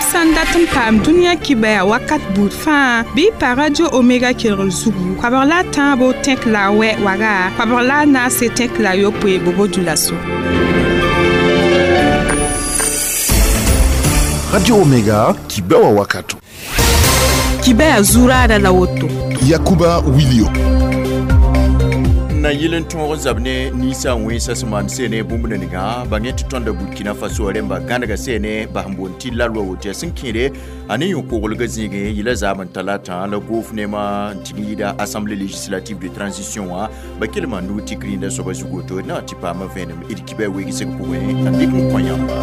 Yãmb sã n dat n paam dũniyã kibɛa wakat buud fãa bɩ y pa Radio Omega kelgr zugu koabg la a tãabo tẽk la a wɛ waga koabg la a naase tẽk la a yopoe bobo dulaso. Radio Omega kibɛwa wakato. Kibɛa zuraada la woto. Yakuba Wilio. Na yɩl n tõog zab ne ninsa wẽnsa sẽn maan seene bũmb ninga bãng tɩ tõnda Burkina Faso rẽmba gãnega seene bas n boond tɩ la loa woto yaa sẽn kẽede a ne yõ-koglgã zĩigẽ yɩla zaam n talata la goof neemã n tɩg n yɩɩda Assemblée législative de transition wã ba kell maan nug tɩ rĩndã soaba zug woto d na tɩ paama vẽenem d kibã weegsg pʋgẽ n dɩk n kõ yãmba.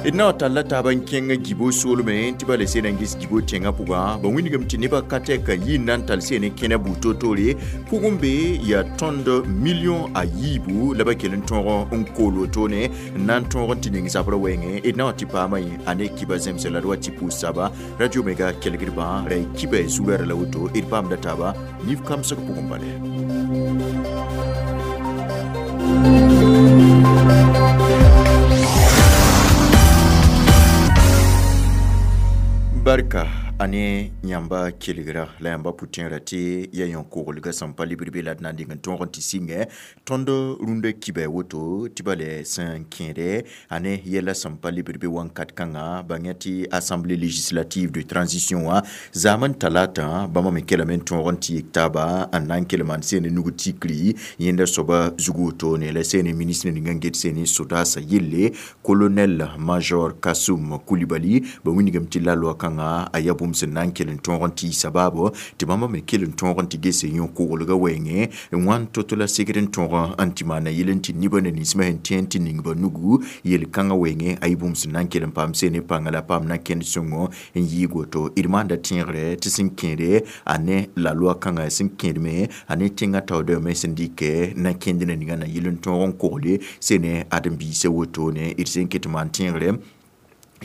D na n talla taaba n kẽng Gibo soolmẽ tɩ ba le seen n ges Gibo tẽngã pʋgã ba wĩnigame tɩ nebã ka tɛk n yi n na n tall seen n kẽna buud toor-toore pʋgẽ be yaa tõnd million a yiibu la ba kell n tõog n kool wotone n na n tõog n tɩ ning zabrã wɛɛngẽ d na n tɩ paama yẽ a ne kiba zemse la d wa tɩ pʋʋs saba Radio Omega kelgdbã ra y kiba zurara la woto d paamda taaba nif kamsg pʋgẽ bale. Barka ane yãmba kelgra la yãmba pʋtẽerã tɩ ya yõ-koglgã sẽn pa libr be la d na n dɩng n tõog n tɩ sɩngẽ tõnd rũndã kiba woto tɩ ba le sẽn kẽede ane yɛla sẽn pa libr be wãnkat kãngã bãng tɩ Assemblée législative de transition wã zaam n talata bãmba me kelame n tõog n tɩ yek taaba n na n kell maan seen nug tikri yẽnda soaba zug wotone la seen ministre ning n get seen sodaasã yelle colonel major Kassoum Coulibaly ba wĩnigame tɩ la loa kãngã a yaa bũmb sẽn na n kell n tõog n tɩ sabaabo tɩ bãmba me kell n tõog n tɩ gese yõ-koglgã wɛɛngẽ n wãn to-to la segd n tõog n tɩ maana yel n tɩ nebã na ninsmã sẽn tẽ n tɩ ning ba nugu yel-kãngã wɛɛngẽ a yɩ bũmb sẽn na n kell n paam seen pãnga la paam na kẽnd sõngo n yɩɩg woto d maanda tẽegre tɩ sẽn kẽede a ne la loa kãngã sẽn kẽedme a ne tẽngã taoodame sẽn dɩkɛ na kẽnd na ninga na yel n tõog n kogle sene ãdem-biisã wotone d sẽn ket maan tẽegre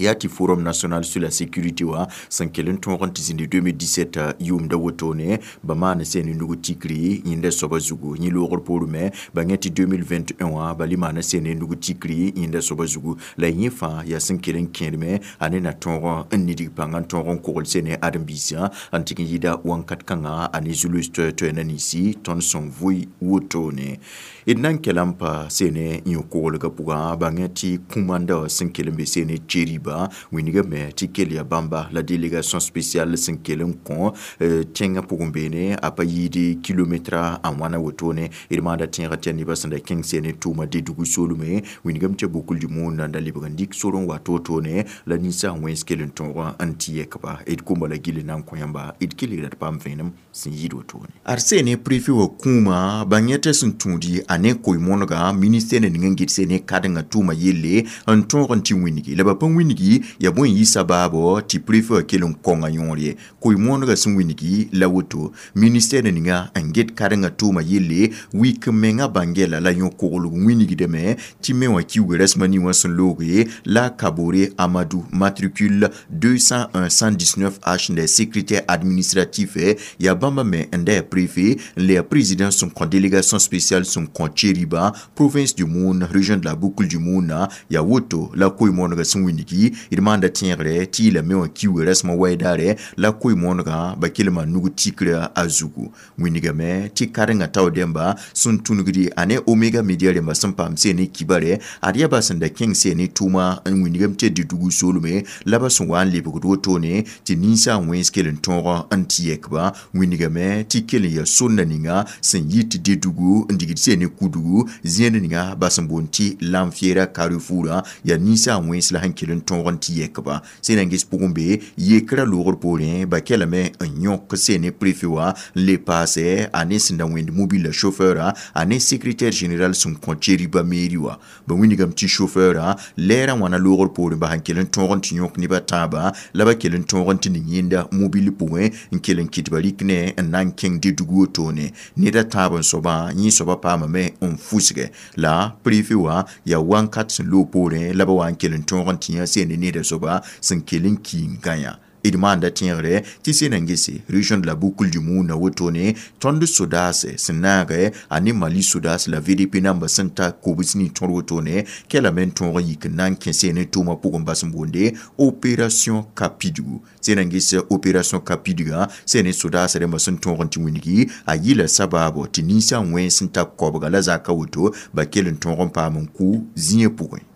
yaa tɩ Forum national sur la sécurité wã sẽn kell n tõog n tɩ zĩndi 2017 yʋʋmda wotone ba maan seen nug tikri yẽnda soaba zugu yẽ loogr poorẽ me ba yẽ tɩ 2021 wã ba le maana seen nug tikri yẽnda soaba zugu la yẽ fãa yaa sẽn kell n kẽedme a ne na tõog n nidg pãng n tõog n kogl seen ãdem-biisã n tɩg n yɩɩda wãnkat kãngã a ne zulus toɛ-toɛ na ninsi tõnd sẽn vʋɩ wotone d na n kɛla n pa seen yõ-koglgã pʋgã ba yẽ tɩ kũmanda wã sẽn kell n be seen Tcheriba wĩnigame tɩ kell yaa bãmba la délégation spéciale sẽn kell n kõ tẽngã pʋgẽ beene a pa yɩɩd kilometra a wãna wotone d maanda tẽegã tɩ yaa nebã sẽn da kẽng seen tʋʋma Dedugu soolme wĩnigame tɩ bukl du monde n da lebg n dɩk sor n wa to-tone la ninsaag wẽns kell n tõog n tɩ yɛkba d komba la gill na n kõ yãmba d kelgra d paam vẽenem sẽn yɩɩd wotone ad seene préfet wã kũuma bãng yẽ tɩ sẽn tũudi a ne koe-moonegã ministère ning n get seen kadengã tʋʋma yelle n tõog n tɩ wĩnigi la ba pa wĩnigi yaa bõe n yɩ sabaabo tɩ préfet wã kell n kõnga yõor ye koe-moonegã sẽn wĩnigi la woto ministère ninga n get kadengã tʋʋma yelle wik mengã bãngɛla la yõ-koglg wĩnigdame tɩ me wã kiuga rasmã nin wã sẽn looge la Kabore Amadou matricule 201 119 H n da secrétaire administratif yaa bãmba me n da yaa préfet n le yaa président sẽn kõ délégation spéciale sẽn kõ Tcheriba province du Moun région de la Boucle du Moun yaa woto la koe-moonegã sẽn wĩnigi d maanda tẽegre tɩ yɩla me wã kiuga rasmã wɛɛdaare la koe-moonegã ba kell maan nug tikrã a zugu wĩnigame tɩ karengã tao dẽmba sẽn tũnugdi a ne Omega Media rẽmba sẽn paam seen kibare ad yaa ba sẽn da kẽng seen tʋʋma n wĩnigame tɩ Dedugu soolme la ba sẽn wa n lebgd wotone tɩ ninsaag wẽns kell n tõog n tɩ yɛkba wĩnigame tɩ kell n yaa sonna ninga sẽn yit Dedugu n digd seen kudugu zẽed ninga ba sẽn boond tɩ Lamfiera Carrefour yaa ninsaag wẽns la sẽn kell n tõog n tɩ yɛkba sẽn na n ges pʋgẽ be yekrã loogr poorẽ ba kɛlame n yõk seen préfet wã n le paasɛ a ne sẽn da wẽnd mobile la chauffeur a ne secrétaire général sẽn kõ Tcheriba mairie wã ba wĩnigame tɩ chauffeur lɛɛrã wãna loogr poorẽ ba sẽn kell n tõog n tɩ yõk nebã tãabã la ba kell n tõog n tɩ ning yẽnda mobile pʋgẽ n kell n kɩt ba rɩk ne n na n kẽng Dedugu wotone ned a tãab n soabã yẽ soabã paamame n fusgɛ la préfet wã yaa wãnkat sẽn loog poorẽ la ba wa n kell n tõog n tɩ yã seen neda soaba sẽn kell n ki n gã yã. D maanda tẽegre tɩ sẽn na n gese région de la Boucle du Mouhoun wotone tõnd sodaas sẽn naage a ne Mali sodaas la VDP namba sẽn ta kobs nin tõr wotone kelame n tõog n yik n na n kẽ seen tʋʋmã pʋgẽ bas n boonde opération Kapidgu. Sẽn na n ges opération Kapidgã sẽn ne sodaas rẽmbã sẽn tõog n tɩ wilgi a yɩla sabaabo tɩ ninsã wẽns n ta koabga la zaka woto ba kell n tõog n paam n kʋ zĩiã pʋgẽ.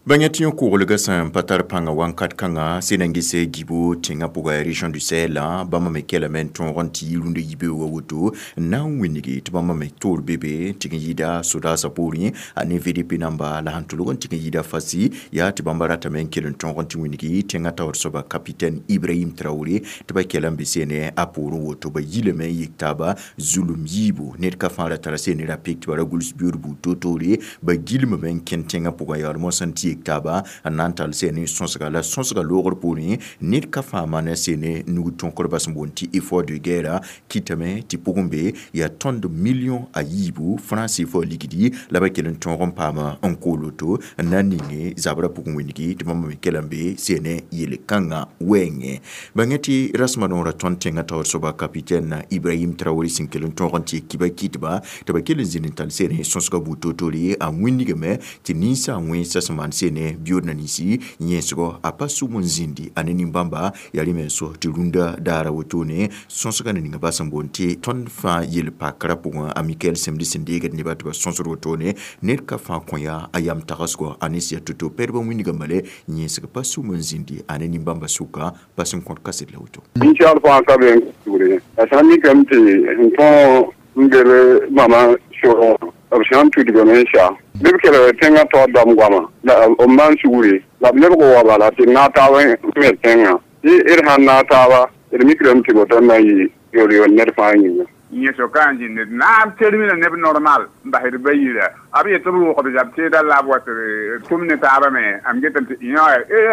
Bãnga tɩ yõ-koglgã sẽn pa tar pãngã wãnkat kãngã sẽn na n ges Guibo tẽngã pʋga région du Sahel bãmba me kelame n tõog n tɩ yi rũndã yibeoogã woto n na n wilgi tɩ bãmba me toor be be tɩ n yɩɩda sodaasã poorẽ a ne VDP namba la sẽn tʋlg n tɩ n yɩɩda fasi yaa tɩ bãmba ratame n kell n tõog n tɩ wilgi tẽngã taoor soaba capitaine Ibrahim Traoré tɩ ba kela n be seene a poorẽ woto ba yilame n yik taaba zulum yiibu ned ka fãa ra tara seene ra pek tɩ ba ra guls biood buud toor-toore ba gilmame n kẽnd tẽngã pʋgã yaool mosã n tɩ yek taaba n na n tall seene sõsga la sõsga loogr poorẽ ned ka fãa maana seene nug tõkr bas n boond tɩ effort de guerre kɩtame tɩ pʋgẽ be yaa tõnd million a yiibu franc CFA ligdi la ba kell n tõog n paama n kool woto n na n ninge zabrã pʋgẽ wĩndgi tɩ bãmb me kell n be seene yel-kãngã wɛɛngẽ. Bãnga tɩ rasmã noorã tõnd tẽngã taoor soaba capitaine Ibrahim Traoré sẽn kell n tõog n tɩ kiba kɩtba tɩ ba kell n zĩnd n tall seene sõsga buud toor-toore a wĩndgame tɩ ninsã wẽnsã sẽn maan seene biyood na ninsi yẽsgɔ a pa sʋm n zĩndi a ne nin-bãmba yaa rẽ me n so tɩ rũndã daara wotone sõsga na ninga bas n boond tɩ tõnd fãa yel-pakrã pʋgẽ a Mikael Semdi sẽn deegd nebã tɩ ba sõsd wotone ned ka fãa kõ yaa a yam tagsgɔ a ne sɩ ya to-to pɛdb n wĩndga male yẽsg pa sʋm n zĩndi a ne nin-bãmba sʋka pa sẽn kõt kaset la woto. Ninsaal fãa ka be n sugre a sã n mikame tɩ n tõog n gel mama sʋgẽ b sã n tudgame n sa bɩ b kelg tẽngã taoor dam goama la b maan sugre la b lebg wa bala tɩ naag taab n me tẽngã tɩ d sãn naag taaba d mikrame tɩ woto n na n yɩ yor-yor ned fãa yĩnga. Yẽso ka n zĩnd d na n termina neb normal n basd ba yira b yet b rʋʋgd zab teeda la b wa tɩ d tʋm ne taabã me am getame tɩ yõ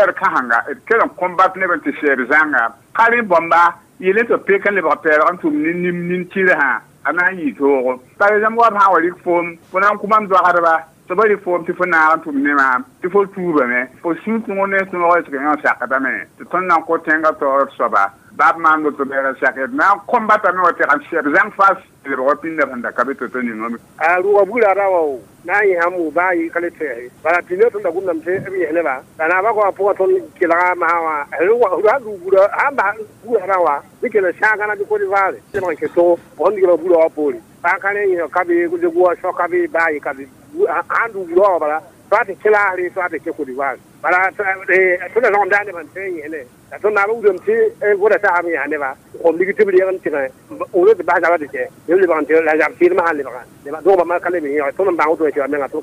d kãsenga d kell n combat neb n tɩ sɛɛb zãnga ka rẽ bãmba yel tɩ pek n lebg pɛɛlg n tʋm ne nim nin-tɩrsã a na n yɩ toogo. Par exemple wa b sã n wa rɩk foom fo na n kʋ mam doagdba tɩ ba rɩk foom tɩ fo naag n tʋm ne maam tɩ fo tuubame fo sũ tõog ne tõog tɩ yõ sakdame tɩ tõnd na n kõ tẽngã taoor soaba bab maan woto bɛɛra sak d na n kõmbatame wa tɩ sɛb zãng fas lebg pĩndã sẽn da ka be to-to ningame. A rʋʋga buda ra wa na n yẽsam wʋ baa yɩ ka le tɛɛse bala pĩndã tõnd da gomdame tɩ b yẽs nebã la naabã goamã pʋgã tõnd kelga masã wã sãn rʋʋg burã sãn bas burã rã wã bɩ kell n sãagã bɩ Côte d'Ivoire lebg n kẽ togo sẽn digrã burã wã poore baa ka rẽ yẽs ka be goa sõ ka be baa yɩ ka be sãn rʋʋg burã wã bala tɩ a tɩ kẽ laasre tɩ a tɩ kẽ Côte d'Ivoire bala tõnd da sõgem daa nebã n tẽ n yẽsne la tõnd naabã wilgame tɩ goda tagsame yãs nebã n lig tɩ b reeg n tɩgẽ wʋrã tɩ bas zabã tɩ kẽ b lebg n tɩ la zab tɩɩdmã sãn lebga dogba ma ka leb n yẽge tõnd n bãng woto sɩba menga tɩ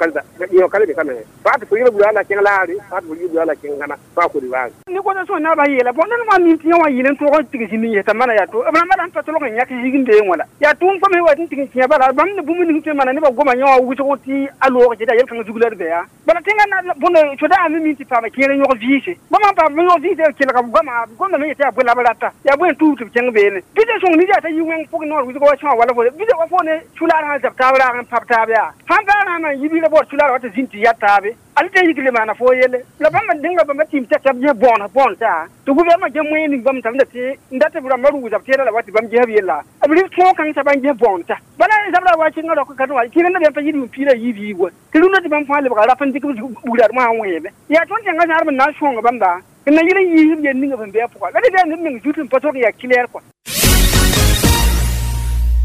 yẽ ka leb ka mengẽ fo a tɩ fo yɩl burã la kẽng laasre fo a tɩ fo yɩl burã la kẽng gãna fo a Côte d'Ivoire. Ne goda sõn naabã yeela bõn ned wã mim tɩ yẽ wã yɩl n tõog n tig zĩnd n yɛsã mana yaa to b rãmbã sẽn pa tolg n yãk zig n beeng wã la yaa tʋʋm fo me wa tɩ n tig n kẽa bala bãmb ne bũmb ning tõe n maana nebã goma yẽ wã wʋsg tɩ a loog jeda yel-kãng zug la d bɛa bala tẽngã na bõnd soda me min tɩ paama kẽer n yõg vɩɩse bãmb n paam yõg vɩɩse kelga goama gomdame yetɩ yaa bõe la b rata yaa bõe n tuub tɩ b kẽng beene bɩ sõng nida t'a yi wẽng pʋgẽ noor wʋsg wa sõa wala fo bɩ wa fo ne sulaar sã zab taab raag n pab taab yaa sãn baa rãambã n yi biila baood sulaar wa tɩ zĩnd tɩ ya taabe al tɩ yik le maana fo yelle la bãmb dẽnga bãmba tɩɩm t'a tab ges bõon bõon taa tɩ gouvernement ges moyen ning bãmb tɩ n dat b rãmbã rʋʋg zab teeda la wa tɩ bãmb ges b yella b rɩ tõog kãng t'a bãmb ges bõon ta bala zabra wa kẽngã rao ka wã kɩrẽ na pa yɩl yʋʋm piig la yiib yiib wa tɩ rũndã tɩ bãmb fãa lebga rap n dɩk b bugrad mosã wẽeme yaa tõnd tẽngã zãadb n na n sõng bãmba n na yɩl n yiisb yel ninga sẽn bɩ a pʋga la dɩ neb meng zut n pa tog n yaa clair kɔa.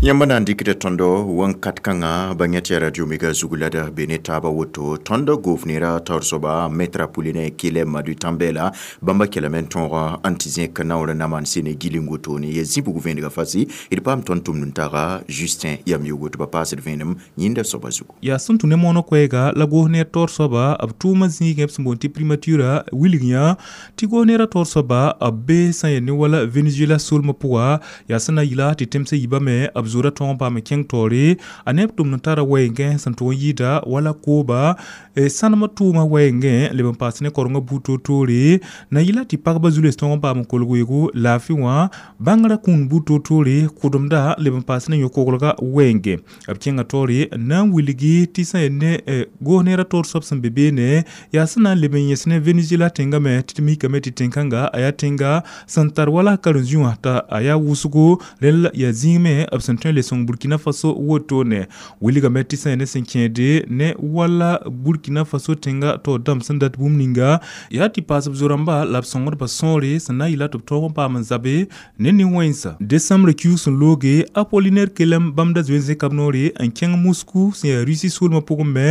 Yãmb na n dɩkda tõndo wãnkat kãngã bãng tɩ radio mega zug la d be ne taabã woto tõnd gofnera taoor soaba maître Apollinaire Kyelem Madu Tambela bãmba kelame n tõog n tɩ zẽk naoor n na maan sene giling wotone ya zĩ-bug vẽenega fasi d paam tõnd tʋmd n taga Justin yam yogo tɩ ba paasd vẽenem yĩnda soaba zugu. Yaa sẽn tũ ne moonã koɛɛga la goos-neer taoor soaba b tʋʋmã zĩigẽ b sẽn boond tɩ primature wilg yã tɩ goos-neerã taoor soaba b be sã n yaa ne wala Venezuela solmã pʋga yaa sẽn na yɩla tɩ tẽmsã yibame b b zoodã tõog n paam n kẽng taoore a neb tʋmd n tara wɛɛngẽ sẽn tʋg n yɩɩda wala kooba sãnemã tʋʋmã wɛɛngẽ leb n paas ne korengã buud toor-toore na yɩla tɩ pagba zu-loees tõog n paam n kolg weoogo laafɩ wã bãngrã kũun buud toor-toore kʋdemda leb n paas ne yõ-koglga wɛɛngẽ b kẽnga taoore n na n wilgi tɩ sã yaa ne goos neerã taoor soab sẽn be beene yaa sẽn na n leb n yẽs ne Venezuela tẽngã me tɩ d mikame tɩ tẽn-kãnga a yaa tẽnga sẽn tar wala karen-zĩ wã t'a a yaa wʋsgo rẽnd yaa zĩig me b sẽn tõe n le sõng Burkina Faso wotone wilgame tɩ sã yaa ne sẽn kẽede ne wala Burkina Faso tẽnga taoor dãmb sẽn dat bũmb ninga yaa tɩ paas b zo-rãmba la b sõngdbã sõore sẽn na n yɩla tɩ b tõog n paam n zabe ne nin-wẽnsa décembre kiuug sẽn looge Apollinaire Kelem bãmb da zoe n zẽka b noore n kẽng Moscou sẽn yaa Russie soolmã pʋgẽ me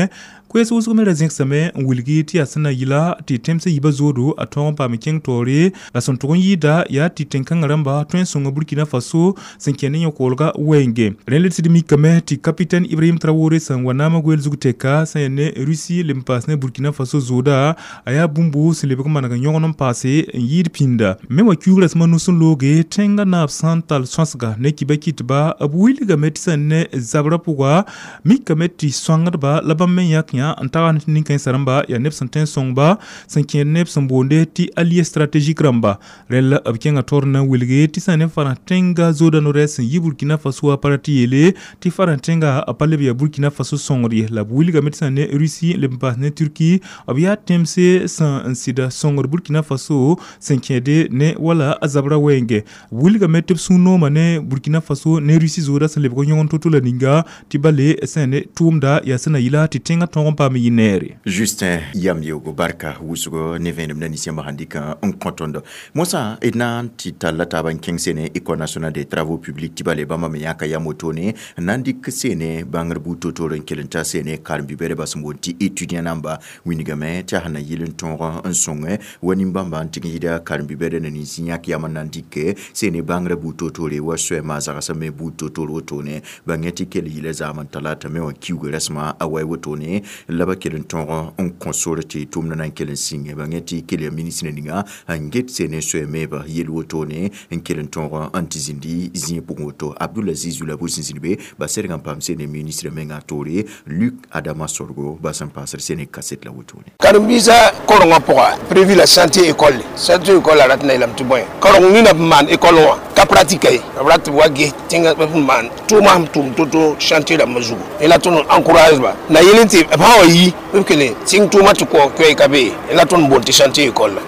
koɛɛs wʋsg me ra zẽgsame n wilgi tɩ yaa sẽn na yɩla tɩ tẽmsã yiibã zoodo a tõog n paam n kẽng taoore la sẽn tʋg n yɩɩda yaa tɩ tẽn-kãngã rãmba tõe n sõnga Burkina Faso sẽn kẽ ne yõ-koolga wɛɛnge rẽnd d sɩd mikame tɩ capitaine Ibrahim Traoré sẽn wa naamã goɛɛl zug tɛka sẽn yaa ne Russie leb n paas ne Burkina Faso zooda a yaa bũmbu sẽn lebg n maneg n yõgen n paase n yɩɩd pĩnda me wã kiuug rasmã nus n looge tẽngã naab sã n tall sõsga ne kiba kɩtba b wilgame tɩ sẽn ne zabrã pʋga mikame tɩ sõangdba la bãmb me yãk yã n tagsd tɩ nin-kãensã rãmba yaa neb sẽn tõe n sõngba sẽn kẽed neb sẽn boonde tɩ allié stratégique rãmba rẽnd la b kẽngã taoor n na n wilge tɩ sã ne farãs tẽnga zooda no-rɛɛs sẽn yi Burkina Faso wã pa ra tɩ yeele tɩ farãs tẽnga a pa leb yaa Burkina Faso sõngd ye la b wilgame tɩ sã ne Russie leb n paas ne Turquie b yaa tẽmse sẽn n sɩda sõngd Burkina Faso sẽn kẽede ne wala a zabrã wɛɛngẽ b wilgame tɩ b sũ-noomã ne Burkina Faso ne Russie zooda sẽn lebg n yõgen to-to la ninga tɩ bale sẽn ne tʋʋmda yaa sẽn na yɩla tɩ tẽngã tõog n paam n yɩ neere. Justin yam yeoogo barka wʋsgo ne vẽenem na ninsẽmbã sãn dɩk n kõ tõndo mosã d na n tɩ talla taab n kẽng sene École nationale des travaux publics tɩ bale bãmba me yãka yam wotone n na n dɩk sene bãngr buud to-toor n kell n ta sene karen-bi-bɛdbã sẽn boond tɩ étudiant namba wingame tɩ a sẽn na yɩl n tõog n sõngẽ wa nin-bãmba n tɩg n yɩda karen-bi-bɛda na nins yãk yam n na n dɩk sene bãngrã buud to-toore wa soɛɛmã zagsã me buud to-toor wotone bãng tɩ kell yɩla zaam n talata me wã kiuga rasmã a wa wotone la ba kell n tõog n kõ sore tɩ tʋʋmdã na n kell n sĩnge bãng tɩ kell yaa ministre ninga n get sene soɛɛmeebã yel wotone n kell n tõog n tɩ zĩndi zĩig pʋgẽ woto Abdulaziz Zulabou sẽn zĩnd be ba serg n paam sene ministre menga toore Luc Adama Sorgo ba sẽn paasd sene kaset la wotone. Karen-biisã korengã pʋga prévu la chantier école chantier école a rat na yeelame tɩ bõe kareng nina b maan école wã ka pratique ye b rat tɩ b wa ges tẽngã b maan tʋʋmã sẽn tʋm to-to chantier rãmbã zugu la tõnd encourage ba na yel n tɩ b sã wa yi b kele tɩng tʋʋmã tɩ koɛɛ ka be la tõnd boond tɩ chantier école la.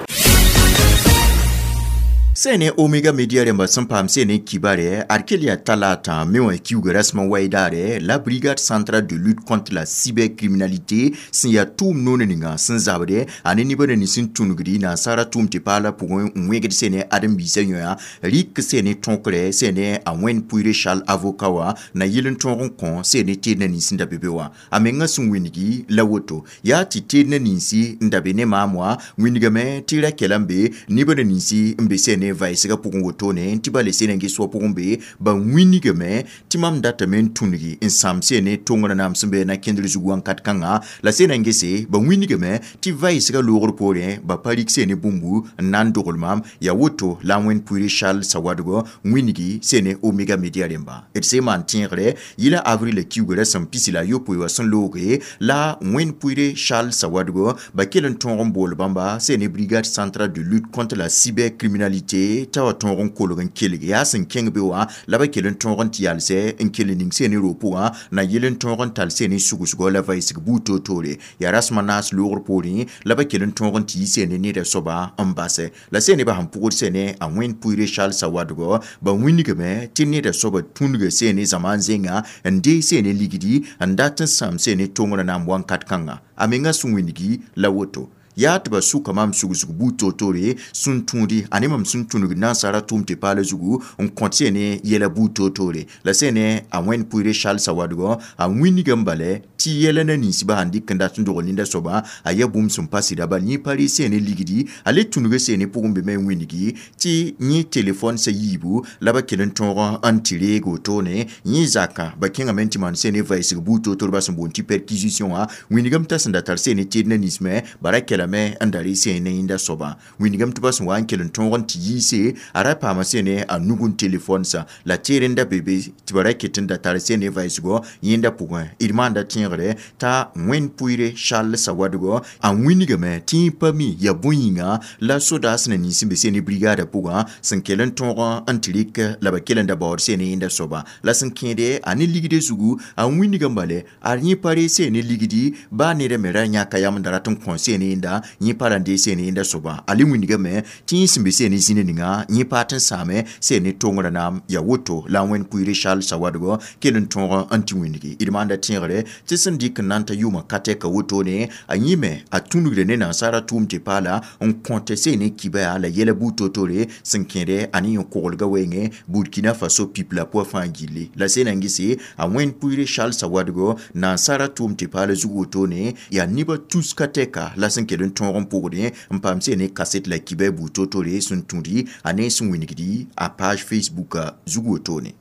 Sene Omega Media rẽmba sẽn paam sene kibare ad kell yaa talata me wã kiuga rasmã wɛɩdaare la brigade centrale de lutte contre la cybercriminalité sẽn yaa tʋʋm noon ninga sẽn zabde a ne nebã na nins n tũnugdi nansara tʋʋm tɩ paala pʋgẽ n wẽgd sene ãdem-biisã yõa rɩk sene tõkre sene a wẽnd pʋɩre Charles avocat wã na yɩl n tõog n kõ sene teednã nins n da be be wã a menga sẽn wĩngi la woto yaa tɩ teednã ninsi n da be ne maam wã wĩndgame tɩ ra kɛla n be nebã na ninsi n be sene vaɩsgã pʋgẽ wotone tɩ ba le sene n ges wã pʋgẽ be ba wĩnigame tɩ mam datame n tũngi n sãam sene tongrã naam sẽn be na kẽndr zug wãnkat kãngã la sena n gese ba wĩnigame tɩ vaɩsgã loogr poorẽ ba pa rɩk sene bũmbu n na n dogl maam yaa woto la wẽnd pʋɩre Charles Sawadgo wĩnigi sene Omega Media rẽmba d se maan tẽegre yɩla avril kiugrã sẽn pisi la yopoe wã sẽn looge la wẽnd pʋɩre Charles Sawadgo ba kell n tõog n bool bãmba sene brigade centrale de lutte contre la cybercriminalité t'a wa tõog n kolg n kelg yaa sẽn kẽng be wã la ba kell n tõog n tɩ yalsɛ n kell ning sene roog pʋgã na yɩl n tõog n tall sene sugsgɔ la vaɩsg buud toor-toore yaa rasmã naas loogr poorẽ la ba kell n tõog n tɩ yɩ sene neda soaba n basɛ la sene ba sẽn pʋgd sene a wẽnd pʋɩre Charles Sawadgo ba wĩnigame tɩ neda soaba tũnga sene zãma n zẽnga n dee sene ligdi n dat n sãam sene tongrã naam wãnkat kãnga a menga sẽn wĩngi la woto yaa tɩ ba sʋka maam sugsg buud toor-toore sẽn tũudi a ne mam sẽn tũnug nansara tʋʋm tɩ paala zugu n kõt sene yɛla buud toor-toore la sene a wẽnd pʋɩre Charles Sawadgo a wĩnigame bala tɩ yɛla na ninsbã sãn dɩk n dat n dogl ninda soabã a yaa bũmb sẽn pa sɩda bal yẽ pa rɩ sene ligdi a le tũnuga sene pʋgẽ be me n wĩnigi tɩ yẽ telefon sa yiibu la ba kell n tõog n tɩ reeg wotone yẽ zakã ba kẽngame n tɩ maan sene vaɩsg buud toor-toor ba sẽn boond tɩ perquisition wã wĩnigame t'a sẽn da tar sene teednã ninsmẽ ba ra kɛla. lame n da rɩ sẽne yẽnda soabã wĩndgame tɩ ba sẽn wa n kell n tõog n tɩ yiise a ra paama sẽne a nug n telefon sã la teer n da be be tɩ ba ra ket n da tar sẽne vaɩsgɔ yẽnda pʋgẽ d maanda tẽegre t'a wẽnd pʋɩɩre Charles Sawadogo a wĩnigame tɩ yẽ pa mi yaa bõe yĩnga la sodaas na nins sẽn be sẽne brigada pʋgã sẽn kell n tõog n tɩ rɩk la ba kell n da baood sẽne yẽnda soaba la sẽn kẽede a ne ligde zugu a wĩnigame bale a yẽ pa re sẽne ligdi baa neda me ra yãka yam n da rat n kõ sẽne yẽnda yẽ pa ra n dee sẽne yẽnda soaba a le wĩnigame tɩ yẽ sẽn be sẽne zĩna ninga yẽ pa tɩ n sãame sẽne tongrã naam yaa woto la a wẽnd pʋɩɩre Charles Sawadogo kell n tõog n tɩ wĩnigi d maanda tẽegre tɩ sẽn dɩk n na n ta yʋʋmã ka tɛka wotone a yẽ me a tũnugda ne nansara tʋʋm tɩ paala n kõte sẽne kiba yaa la yɛla buud to-tore sẽn kẽede a ne yẽ-koglga wɛɛngẽ Burkina Faso pipla pʋa fãa gilli la sẽna n gese a wẽnd pʋɩɩre Charles Sawadogo nansara tʋʋm tɩ paala zug wotone yaa nebã tus ka tɛka la sẽn kell n tõog n pʋgdẽ n paam sẽne kaset la kiba buud to-tore sẽn tũudi a ne sẽn wĩnigdi a page Facebook zug wotone.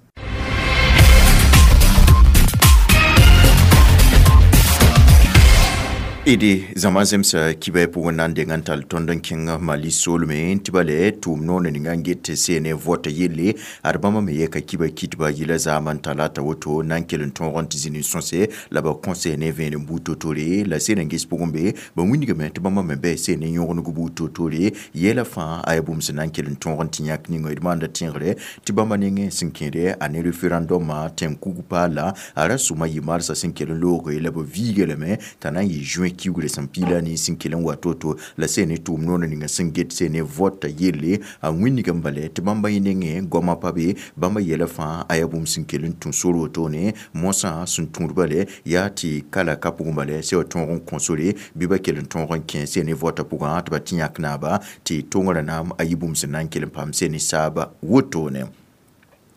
Ede zãma zemsa kibɛ pʋgẽ na n deng n tall tõnd n kẽng Mali soolmẽ tɩ ba le tʋʋm noor ninga n get sene vɔta yelle ad bãmba me yɛka kiba kitba yɩla zaam n talata woto na n kell n tõog n tɩ zĩni sõse la ba kõ sene vẽenem buud to-tore la sene n ges pʋgẽ be ba wĩndgame tɩ bãmba me bɩ sene yõgeneg buud to-tore yɛla fãa a yaa bũmb sẽn na n kell n tõog n tɩ yãk ninga d maanda tẽegre tɩ bãmba nengẽ sẽn kẽede a ne referendum tẽn-kug paala a ra sʋma yɩ marsã sẽn kell n looge la ba viiga lame t'a na n yɩ juin kiugre sẽn piila ne sẽn kell n wa to-to la sẽne tʋʋm noor ninga sẽn get sẽne vɔta yelle a wĩnigame bale tɩ bãmba yẽ nengẽ goamã pa be bãmba yɛla fãa a yaa bũmb sẽn kell n tũ sor wotone mosã sẽn tũud bale yaa tɩ kala ka pʋgẽ bale sẽn wa tõog n kõ sore bɩ ba kell n tõog n kẽ sẽne vɔta pʋgã tɩ ba tɩ yãk naaba tɩ tongrã naam a yɩ bũmb sẽn na n kell n paam sẽne saaba wotone.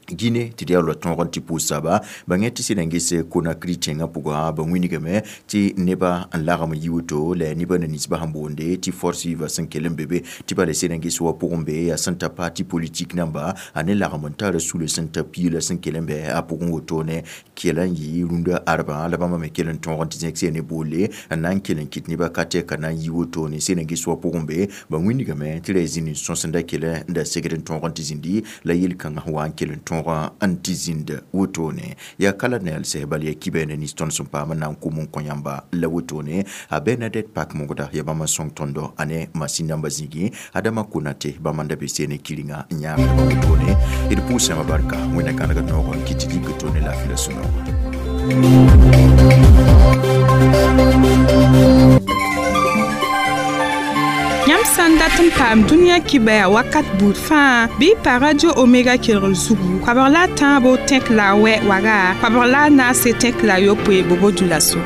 Guinée tɩ d yaa la tõog n tɩ pʋʋs soaba ba yẽ tɩ sẽd n ges Conakry tẽngã pʋgã ba wĩnigame tɩ neba n lagem n yi woto la yaa nebã na ninsbã sẽn boonde tɩ force vive sẽn kell n be be tɩ bala sẽd n ges wa pʋgẽ be yaa sẽn ta parti politique namba a ne lagem n tara sula sẽn ta piila sẽn kell n bɛ a pʋgẽ wotone kela n yɩ rũndã arbã la bãmba me kell n tõog n tɩ zẽk sẽne boole n na n kell n kɩt nebã ka tɛka na n yi wotone sẽd n ges wa pʋgẽ be ba wĩnigame tɩ ra zĩnd n sõsenda kell n da segd n tõog n tɩ zĩndi la yel-kãngã wa n kell n tõog n tɩ zĩnd wotone yaa kala na yalsɛ bal yaa kibɛ na nins tõnd sẽn paam n na n kom n kõ yãmba la wotone a Bernadette Pak mogda yaa bãmb n sõng tõndo a ne masin namba zĩigẽ Adama Konate bãmb n da be sene kiringa n yãagdba wotone d pʋʋsãmã barka wẽnna kãneg noog n kɩt tɩ dɩk tone laafɩ la sũ-noogã. Yãmb sã n dat n paam dũniyã kibɛa wakat buud fãa bɩ pa Radio Omega kelgr zugu koabg la a tãabo tẽk la a wɛ waga koabg la a naase tẽk la a yopoe bobo dulaso.